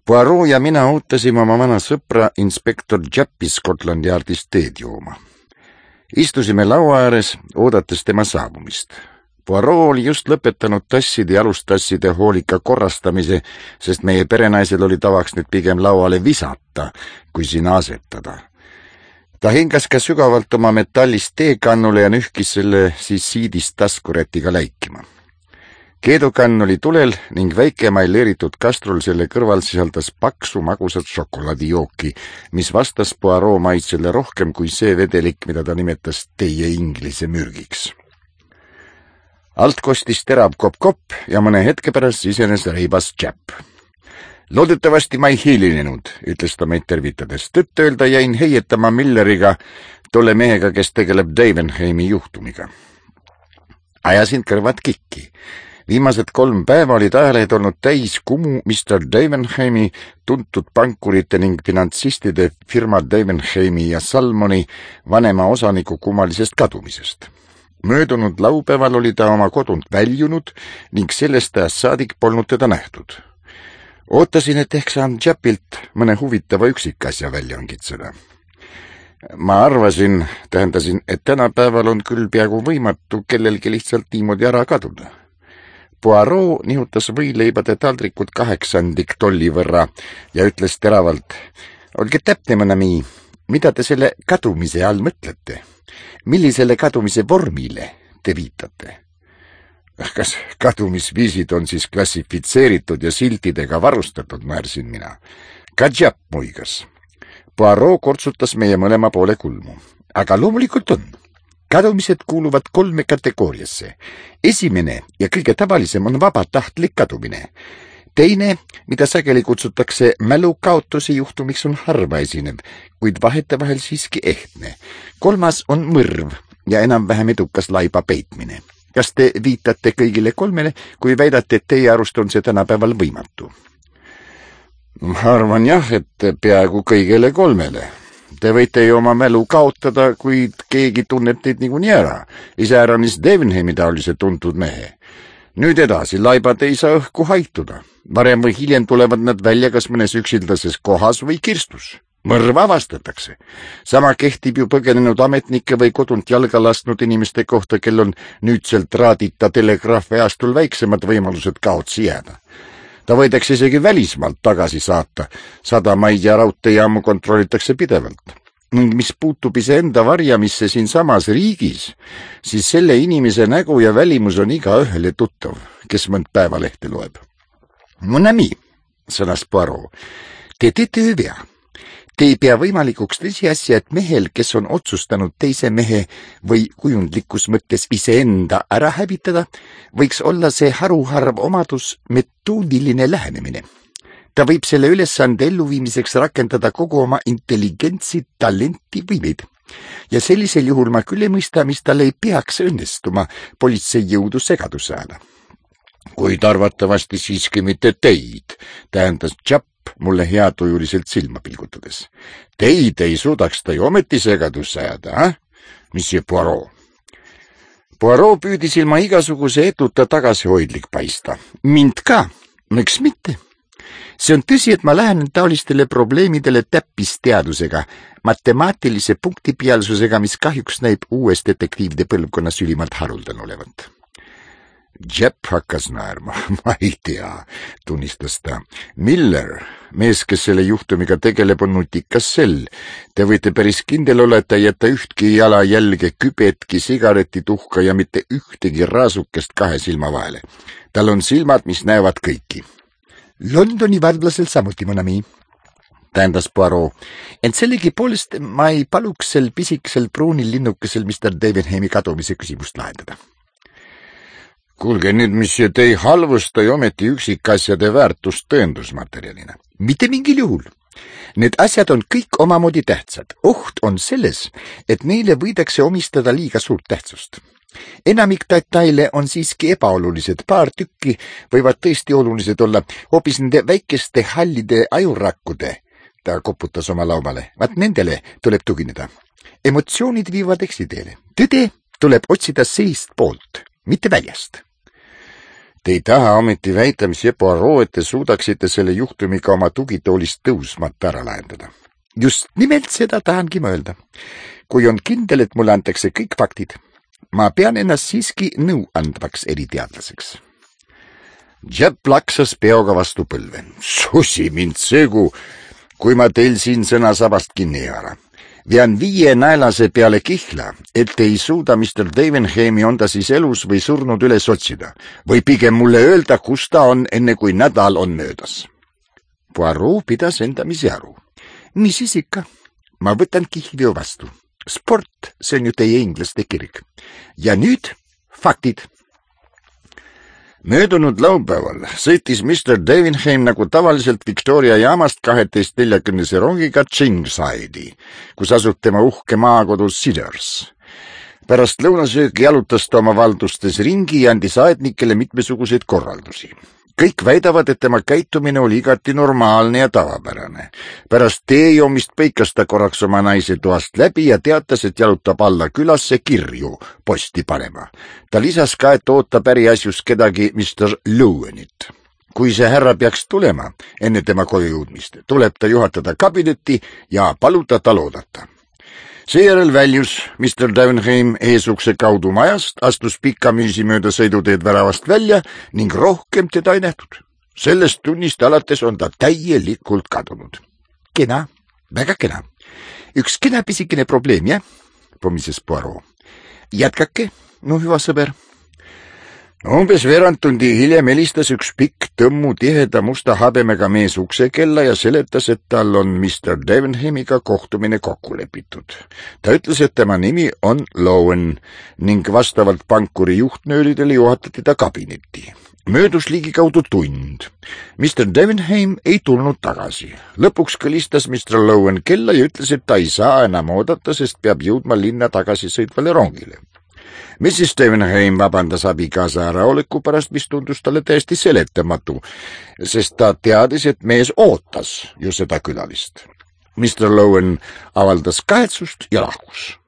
Poirot ja mina ootasime oma vana sõpra inspektor Jappi Scotland Yardist teed jooma. Istusime laua ääres, oodates tema saabumist. Poirot oli just lõpetanud tasside ja alustasside hoolika korrastamise, sest meie perenaisel oli tavaks nüüd pigem lauale visata, kui sinna asetada. Ta hingas ka sügavalt oma metallist teekannule ja nühkis selle siis siidist taskurätiga läikima. Keedukann oli tulel ning väike mailleeritud kastrul selle kõrval sisaldas paksu magusat šokolaadijooki, mis vastas Poirot maitsele rohkem kui see vedelik, mida ta nimetas teie inglise mürgiks. Alt kostis terav kopp-kopp ja mõne hetke pärast sisenes reibas Japp. Loodetavasti ma ei hiilinenud, ütles ta meid tervitades. Tõtt-öelda jäin heietama Milleriga, tolle mehega, kes tegeleb Davenheimi juhtumiga. Ajasin kõrvad kikki. Viimased 3 päeva olid ajalehed olnud täis kumu Mr. Davenheimi, tuntud pankurite ning finantsistide firma Davenheimi ja Salmoni vanema osaniku kummalisest kadumisest. Möödunud laupäeval oli ta oma kodunt väljunud ning sellest ajast saadik polnud teda nähtud. Ootasin, et ehk saan Jappilt mõne huvitava üksikasja välja ongitseda. Ma tähendasin, et tänapäeval on küll peaaegu võimatu kellelgi lihtsalt niimoodi ära kaduda. Poirot nihutas võileibade taldrikud 8 tolli võrra ja ütles teravalt, olge täpne, mon ami, mida te selle kadumise all mõtlete? Millisele kadumise vormile te viitate? Kas kadumisviisid on siis klassifitseeritud ja siltidega varustatud, naersin mina. Ka Japp muigas. Poirot kortsutas meie mõlema poole kulmu. Aga loomulikult on. Kadumised kuuluvad 3 kategooriasse. Esimene ja kõige tavalisem on vabatahtlik kadumine. Teine, mida sageli kutsutakse mälukaotuse juhtumiks, on harva esinev, kuid vahetevahel siiski ehtne. 3. on mõrv ja enam-vähem edukas laiba peitmine. Kas te viitate kõigile 3, kui väidate, et teie arust on see tänapäeval võimatu? Ma arvan jah, et peaaegu kõigile 3. Te võite ju oma mälu kaotada, kuid keegi tunneb teid niikuinii ära. Iseäranis Davenheimi taolise tuntud mehe. Nüüd edasi, laibad ei saa õhku haituda. Varem või hiljem tulevad nad välja kas mõnes üksildases kohas või kirstus. Mõrv avastatakse. Sama kehtib ju põgenenud ametnike või kodunt jalga lastnud inimeste kohta, kel on nüüdselt raadita telegraafiaastul väiksemad võimalused kaotsi jääda. Ta võidakse isegi välismaalt tagasi saata. Sadamaid ja raudteejaamu kontrollitakse pidevalt. Ning mis puutub iseenda varjamisse siin samas riigis, siis selle inimese nägu ja välimus on igaühele tuttav, kes mõnd päevalehte loeb. Mon ami, sõnas Poirot, te teete öö. Te ei pea võimalikuks tõsiasja, et mehel, kes on otsustanud teise mehe või kujundlikus mõttes iseenda ära hävitada, võiks olla see haruharv omadus metoodiline lähenemine. Ta võib selle ülesande elluviimiseks rakendada kogu oma intelligentsi, talenti võimeid. Ja sellisel juhul ma küll ei mõista, mis tal ei peaks õnnestuma politseijõudu segaduse ajal. Kuid arvatavasti siiski mitte teid, tähendas Japp mulle heatujuliselt silma pilgutades. Teid ei suudaks ta ju ometi segadusse ajada, Monsieur Poirot? Poirot püüdis ilma igasuguse eduta tagasihoidlik paista. Mind ka, miks mitte? See on tõsi, et ma lähenen taolistele probleemidele täppisteadusega, matemaatilise punktipealsusega, mis kahjuks näib uues detektiivide põlvkonnas ülimalt haruldane olevat. Japp hakkas naerma. Ma ei tea, tunnistas ta. Miller, mees, kes selle juhtumiga tegeleb, on nutikas sell. Te võite päris kindel olla, et ta ei jäta ühtki jalajälge, kübetki, sigaretituhka ja mitte ühtegi raasukest 2 silma vahele. Tal on silmad, mis näevad kõiki. Londoni vardlasel samuti, mon ami, tähendas Poirot. Ent sellegi poolest ma ei paluks sel pisikesel pruunil linnukesel Mr. Davenheimi kadumise küsimust lahendada. Kuulge nüüd, monsieur, te ei halvusta ju ometi üksikasjade väärtust tõendusmaterjalina. Mitte mingil juhul. Need asjad on kõik omamoodi tähtsad. Oht on selles, et neile võidakse omistada liiga suurt tähtsust. Enamik detaile on siiski ebaolulised. Paar tükki võivad tõesti olulised olla, hoopis nende väikeste hallide ajurakkude. Ta koputas oma laumale. Vaat nendele tuleb tugineda. Emotsioonid viivad eksiteele. Tõde tuleb otsida seest poolt, mitte väljast. Te ei taha ometi väita, Monsieur Poirot, et te suudaksite selle juhtumiga oma tugitoolist tõusmata ära lahendada. Just nimelt seda tahangi mõelda. Kui on kindel, et mulle antakse kõik faktid, ma pean ennast siiski nõu andvaks eriteadlaseks. Japp laksas peoga vastu põlve. Susi mind segu, kui ma teil siin sõnasabast kinni ei haara. Vean 5 naelase peale kihla, et ei suuda Mr. Davenheimi on ta siis elus või surnud üles otsida, või pigem mulle öelda, kus ta on, enne kui nädal on möödas. Poirot pidas endamisi aru. Mis siis ikka? Ma võtan kihlveo vastu. Sport, see on ju teie inglaste kirg. Ja nüüd faktid. Möödunud laupäeval sõitis Mr. Davenheim nagu tavaliselt Victoria jaamast 12:40 rongiga Chingside'i, kus asub tema uhke maakodus Cedars. Pärast lõunasöögi jalutas ta oma valdustes ringi ja andis aednikele mitmesuguseid korraldusi. Kõik väidavad, et tema käitumine oli igati normaalne ja tavapärane. Pärast teejoomist põikas ta korraks oma naise toast läbi ja teatas, et jalutab alla külasse kirju posti panema. Ta lisas ka, et ootab äriasjus kedagi Mr. Lowenit. Kui see härra peaks tulema enne tema koju jõudmist, tuleb ta juhatada kabinetti ja paluda tal oodata. Seejärel väljus Mr. Davenheim eesukse kaudu majast, astus pikamüüsi mööda sõiduteed väravast välja ning rohkem teda ei nähtud. Sellest tunnist alates on ta täielikult kadunud. Kena, väga kena. Üks kena pisikene probleem, jah? Pomises Poirot. Jätkake, no hüva sõber. Umbes veerand tundi hiljem helistas üks pikk tõmmu tiheda musta habemega mees uksekella ja seletas, et tal on Mr. Davenheimiga kohtumine kokku lepitud. Ta ütles, et tema nimi on Lowen ning vastavalt pankuri juhtnööridele juhatati ta kabinetti. Möödus ligikaudu tund. Mr. Davenheim ei tulnud tagasi. Lõpuks kõlistas Mr. Lowen kella ja ütles, et ta ei saa enam oodata, sest peab jõudma linna tagasi sõitvale rongile. Mrs. Davenheim vabandas abikaasa äraoleku pärast, mis tundus talle täiesti seletamatu, sest ta teadis, et mees ootas ju seda külalist. Mr. Lowen avaldas kahetsust ja lahkus.